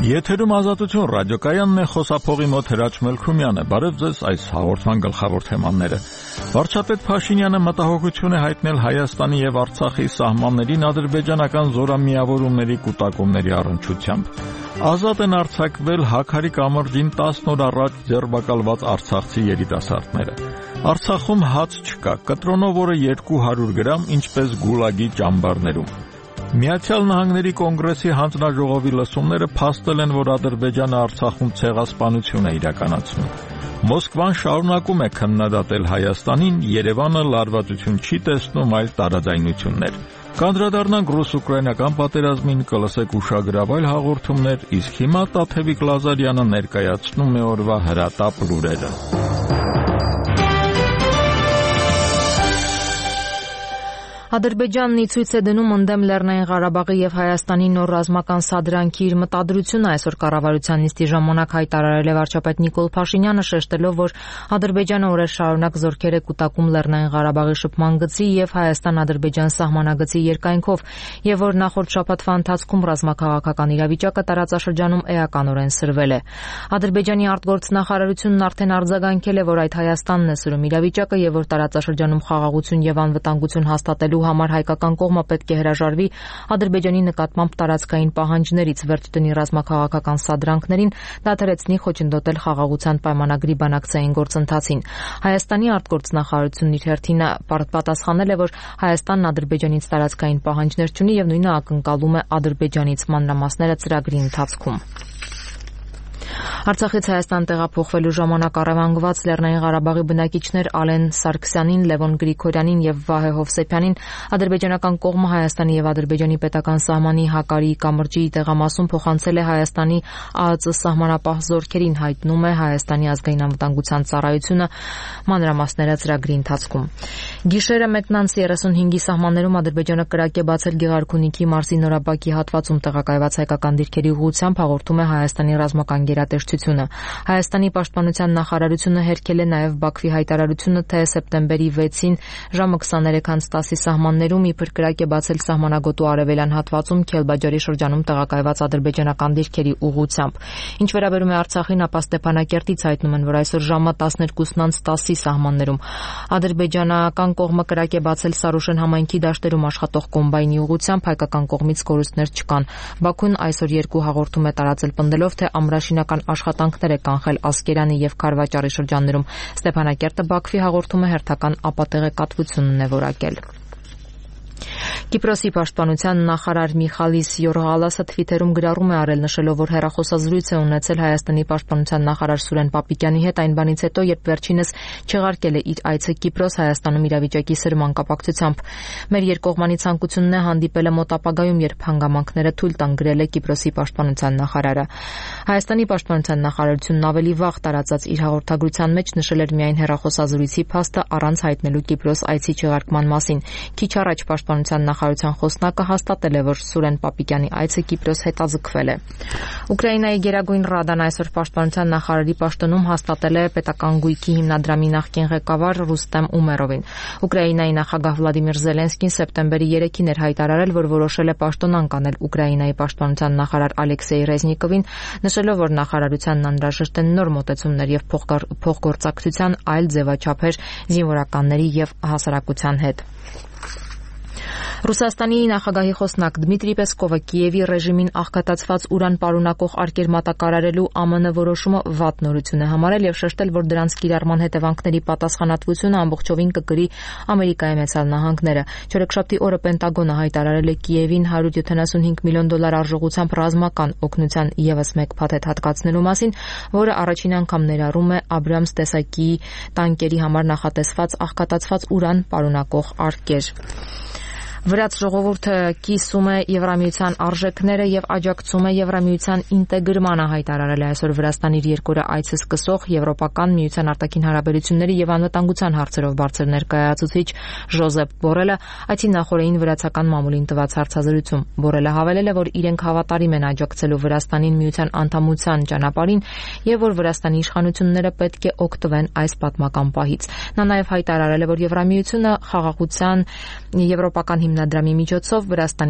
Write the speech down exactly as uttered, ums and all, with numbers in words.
Եթերում Ազատություն ռադիոկայանն է, խոսափողի մոտ Հրաչ Մելքումյանը։ Բարև ձեզ, այս հաղորդման գլխավոր թեմաները։ Վարչապետ Փաշինյանը մտահոգություն է հայտնել Հայաստանի եւ Արցախի սահմաններին ադրբեջանական զորամիավորումների կուտակումների առնչությամբ։ Ազատ են արձակվել Հաքարի կամրջին տասն օր առաջ ձերբակալված արցախցի երիտասարդները։ Արցախում հաց չկա, կտրոնով օրը երկու հարյուր գրամ, ինչպես Գուլագի ճամբարներում։ Միացյալ Նահանգների կոնգրեսի հանձնաժողովի լսումները փաստել են, որ Ադրբեջանը Արցախում ցեղասպանություն է իրականացնում։ Մոսկվան շարունակում է քննադատել Հայաստանին, Երևանը լարվածություն չի տեսնում, այլ տարաձայնություններ։ Կանդրադառնանք ռուս-ուկրաինական պատերազմին, կլսեք ուշագրավ այլ հաղորդումներ, իսկ հիմա Տաթևիկ Լազարյանը ներկայացնում է օրվա հրատապ լուրերը։ Ադրբեջանն ի ցույց է դնում ընդդեմ Լեռնային Ղարաբաղի եւ Հայաստանի նոր ռազմական սադրանքի իր մտադրությունը այսօր կառավարության նիստի ժամանակ հայտարարել է վարչապետ Նիկոլ Փաշինյանը, շեշտելով, որ Ադրբեջանը օրեր շարունակ զորքեր է կուտակում Լեռնային Ղարաբաղի շփման գծի եւ Հայաստան-Ադրբեջան սահմանագծի երկայնքով եւ որ նախորդ շաբաթվա ընթացքում ռազմաքաղաքական իրավիճակը տարածաշրջանում էականորեն սրվել է։ Ադրբեջանի արտգործնախարարությունն արդեն արձագանքել է, որ այդ Հայաստանն է սրում իրավիճակը եւ որ տարածաշրջանում խաղաղություն եւ անվտանգություն հաստատելու համար հայկական կողմը պետք է հրաժարվի Ադրբեջանի նկատմամբ տարածքային պահանջներից, վերջ դնի ռազմաքաղաքական սադրանքներին, դադարեցնի խոչընդոտել խաղաղության պայմանագրի բանակցային գործընթացին։ Հայաստանի արտգործնախարարությունն իր հերթին պատասխանել է, որ Հայաստանն Ադրբեջանից տարածքային պահանջներ չունի եւ նույնը ակնկալում է Ադրբեջանից մանրամասները ծրագրի ընթացքում։ Արցախից Հայաստան տեղափոխվելու ժամանակ առևանգված Լեռնային Ղարաբաղի բնակիչներ Ալեն Սարգսյանին, Լևոն Գրիգորյանին եւ Վահե Հովսեփյանին ադրբեջանական կողմը Հայաստանի եւ Ադրբեջանի պետական սահմանի Հակարի կամրջի տեղամասում փոխանցել է Հայաստանի ԱԱԾ սահմանապահ զորքերին, հայտնում է Հայաստանի ազգային անվտանգության ծառայությունը մանրամասները ծրագրի ընթացքում։ Գիշերը մեկնանց երեսունհինգի սահմաններում Ադրբեջանը կրակ է բացել Գեղարքունիքի մարզի Նորաբակի հատվածում տեղակայված հայկական դիրքերի ուղղությամբ, հաղորդում է Հայաստանի ռազմական գերատեսչությունը։ Հայաստանի պաշտպանության նախարարությունը հերքել է նաև Բաքվի հայտարարությունը, թե սեպտեմբերի վեցին ժամը քսաներեքից տասի սահմաններում իբր կրակ է բացել սահմանագոտու արևելյան հատվածում Քելբաջարի շրջանում տեղակայված ադրբեջանական դիրքերի ուղղությամբ։ Ինչ վերաբերում է Արցախին, ապա Ստեփանակերտից հայտնում են, որ այսօր ժամը տասներկուսից տասի սահմաններում ադրբեջանական կողմը կրակ է բացել Սարուշեն համայնքի դաշտերում աշխատող կոմբայնի ուղղությամբ, հայկական կողմից կորուստներ չկան։ Բաքուն այսօր երկու հաղորդում է տարածել, պնդելով, թե ամրաշինական աշխատանքներ է կանխել Ասկերանի եւ Քարվաճարի շրջաններում։ Ստեփանակերտը Բաքվի հաղորդումը հերթական ապատեղեկատվությունն է որակել։ Կիպրոսի պաշտպանության նախարար Միխալիս Յորղալասը Թվիթերում գրառում է արել, նշելով, որ հեռախոսազրույց է ունեցել Հայաստանի պաշտպանության նախարար Սուրեն Պապիկյանի հետ այն բանից հետո, երբ վերջինս չեղարկել է իր այցը Կիպրոս Հայաստանում իրավիճակի սրման կապակցությամբ։ Մեր երկկողմանի ցանկությունն է հանդիպելը մոտ ապագայում, երբ հանգամանքները թույլ տան, գրել է Կիպրոսի պաշտպանության նախարարը։ Հայաստանի պաշտպանության նախարարությունն ավելի վաղ տարածած իր հաղորդագրության մեջ նշել էր միայն հեռախոսազրույցի փաստը առանց հայտնելու Կիպրոս այցի չեղարկման մասին։ Քիչ առաջ պաշտպանության նախարարության խոսնակը հաստատել է, որ Սուրեն Պապիկյանի այցը Կիպրոս հետաձգվել է։ Ուկրաինայի Գերագույն Ռադան այսօր պաշտպանության նախարարի պաշտոնում հաստատել է պետական գույքի հիմնադրամի նախկին ղեկավար Ռուստեմ Ումերովին։ Ուկրաինայի նախագահ Վլադիմիր Զելենսկին սեպտեմբերի երեքին էր հայտարարել, որ որոշել է պաշտոնանկ անել Ուկրաինայի պաշտպանության նախարար Ալեքսեյ Ռեզնիկովին, նշելով, որ նախարարությանն անհրաժեշտ են նոր մոտեցումներ եւ փոխգործակցության այլ ձևաչափեր զինվորականների եւ հասարակության հետ։ Ռուսաստանի նախագահի խոսնակ Դմիտրի Պեսկովը Կիևի ռեժիմին աղքատացված ուրան պարունակող արկեր մատակարարելու ԱՄՆ որոշումը վատ նորություն է համարել եւ շեշտել, որ դրանց կիրառման հետևանքների պատասխանատվությունը ամբողջովին կկրի Ամերիկայի Միացյալ Նահանգները։ Չորեքշաբթի օրը Պենտագոնը հայտարարել է Կիևին հարյուր յոթանասունհինգ միլիոն դոլար արժողությամբ ռազմական օգնության եւս մեկ փաթեթ հատկացնելու մասին, որը առաջին անգամ ներառում է Աբրամս տեսակի տանկերի համար նախատեսված աղքատացված ուրան պարունակող արկեր։ Վրաց ժողովուրդը կիսում է Եվրամիության արժեքները եւ աջակցում է Եվրամիության ինտեգրմանը, հայտարարել է այսօր Վրաստանի իր երկօրյա այցը սկսող Եվրոպական միության արտաքին հարաբերությունների եւ անվտանգության հարցերով բարձր ներկայացուցիչ Ժոզեփ Բորելը այցի նախօրեին վրացական մամուլին տված հարցազրույցում։ Բորելը հավելել է, որ իրենք հավատարիմ են աջակցելու Վրաստանին միության անդամության ճանապարհին եւ որ Վրաստանի իշխանությունները պետք է օգտվեն այս պատմական պահից։ Նա նաեւ հայտարարել է, որ Եվրամիությունը խաղաղության եվրոպական հիմնադրամի միջոցով Վրաստանի